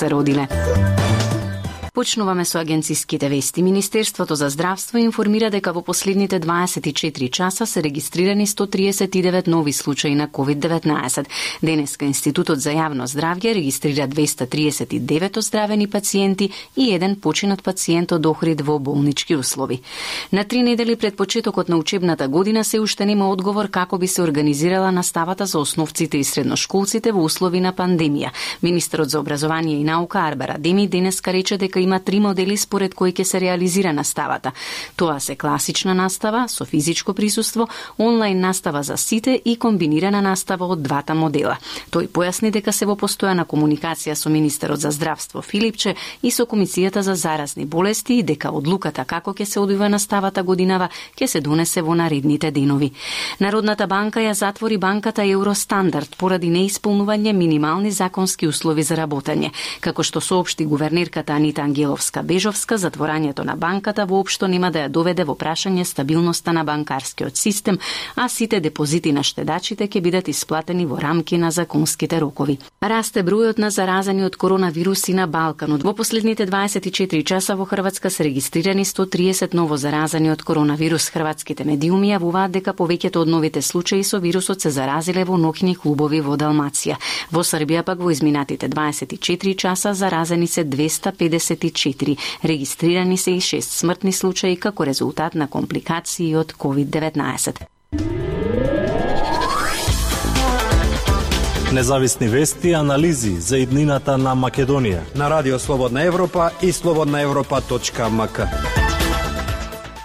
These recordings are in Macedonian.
се родиле. Почнуваме со агенциските вести. Министерството за здравство информира дека во последните 24 часа се регистрирани 139 нови случаи на COVID-19. Денеска Институтот за јавно здравје регистрира 239 оздравени пациенти и еден починат пациент од Охрид во болнички услови. На 3 недели пред почетокот на учебната година се уште нема одговор како би се организирала наставата за основците и средношколците во услови на пандемија. Министерот за образование и наука Арбер Адеми денеска рече дека има 3 модели според кои ќе се реализира наставата. Тоа се класична настава со физичко присуство, онлайн настава за сите и комбинирана настава од двата модела. Тој појасни дека се во постојана комуникација со министерот за здравство Филипче и со Комисијата за заразни болести и дека одлуката како ќе се одвива наставата годинава ќе се донесе во наредните денови. Народната банка ја затвори банката Евростандард поради неисполнување минимални законски услови за работење. Како што соопшти гувернерката Анита Ангеловска-Бежовска, затворањето на банката воопшто нема да ја доведе во прашање стабилноста на банкарскиот систем, а сите депозити на штедачите ќе бидат исплатени во рамки на законските рокови. Расте бројот на заразени од коронавируси на Балканот. Во последните 24 часа во Хрватска се регистрирани 130 ново заразени од коронавирус. Хрватските медиуми јавуваат дека повеќето од новите случаи со вирусот се заразиле во ноќни клубови во Далмација. Во Србија пак во изминатите 24 часа заразени се 254, регистрирани се и 6 смртни случаи како резултат на компликации од COVID-19. Независни вести и анализи за иднината на Македонија на Радио Слободна Европа и slobodnaevropa.mk.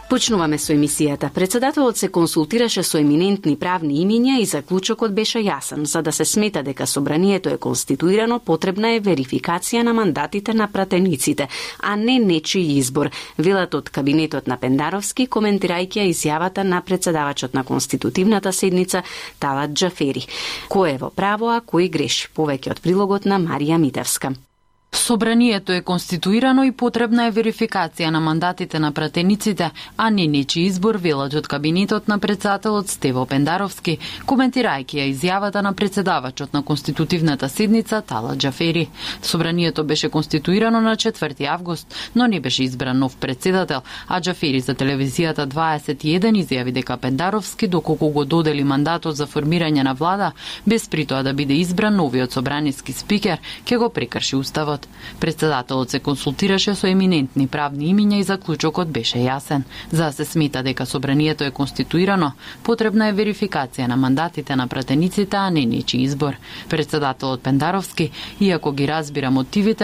Почнуваме со емисијата. Председателот се консултираше со еминентни правни имиња и заклучокот беше јасен. За да се смета дека собранието е конституирано, потребна е верификација на мандатите на пратениците, а не нечи избор, велат од кабинетот на Пендаровски, коментирајќи изјавата на председавачот на конститутивната седница Талат Џафери. Кој е во право, а кој греши? Повеќе од прилогот на Марија Митевска. Собранието е конституирано и потребна е верификација на мандатите на пратениците, а не нечи избор, велат од кабинетот на председателот Стево Пендаровски, коментирајќи ја изјавата на председавачот на конститутивната седница Талат Џафери. Собранието беше конституирано на 4 август, но не беше избран нов председател, а Џафери за телевизијата 21 изјави дека Пендаровски, доколку го додели мандатот за формирање на влада, без при тоа да биде избран новиот собраниски спикер, ќе го прекрши уставот. Председателот се консултираше со еминентни правни имиња и заклучокот беше јасен. За да се смета дека собранието е конституирано, потребна е верификација на мандатите на пратениците, а не нечи избор. Председателот Пендаровски, иако ги разбира мотивите на